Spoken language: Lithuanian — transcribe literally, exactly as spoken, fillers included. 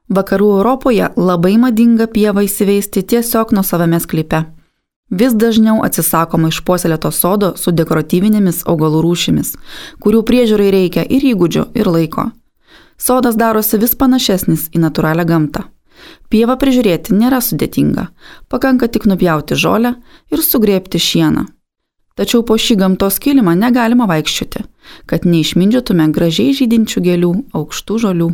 Vakarų Europoje labai madinga pievą įsiveisti tiesiog nuosavame sklype. Vis dažniau atsisakoma išpuoselėto sodo su dekoratyvinėmis augalų rūšimis, kurių priežiūrai reikia ir įgūdžių, ir laiko. Sodas darosi vis panašesnis į natūralią gamtą. Pievą prižiūrėti nėra sudėtinga, pakanka tik nupjauti žolę ir sugrėbti šieną. Tačiau po šį gamtos kilimą negalima vaikščioti, kad neišmindžiotume gražiai žydinčių gėlių, aukštų žolių.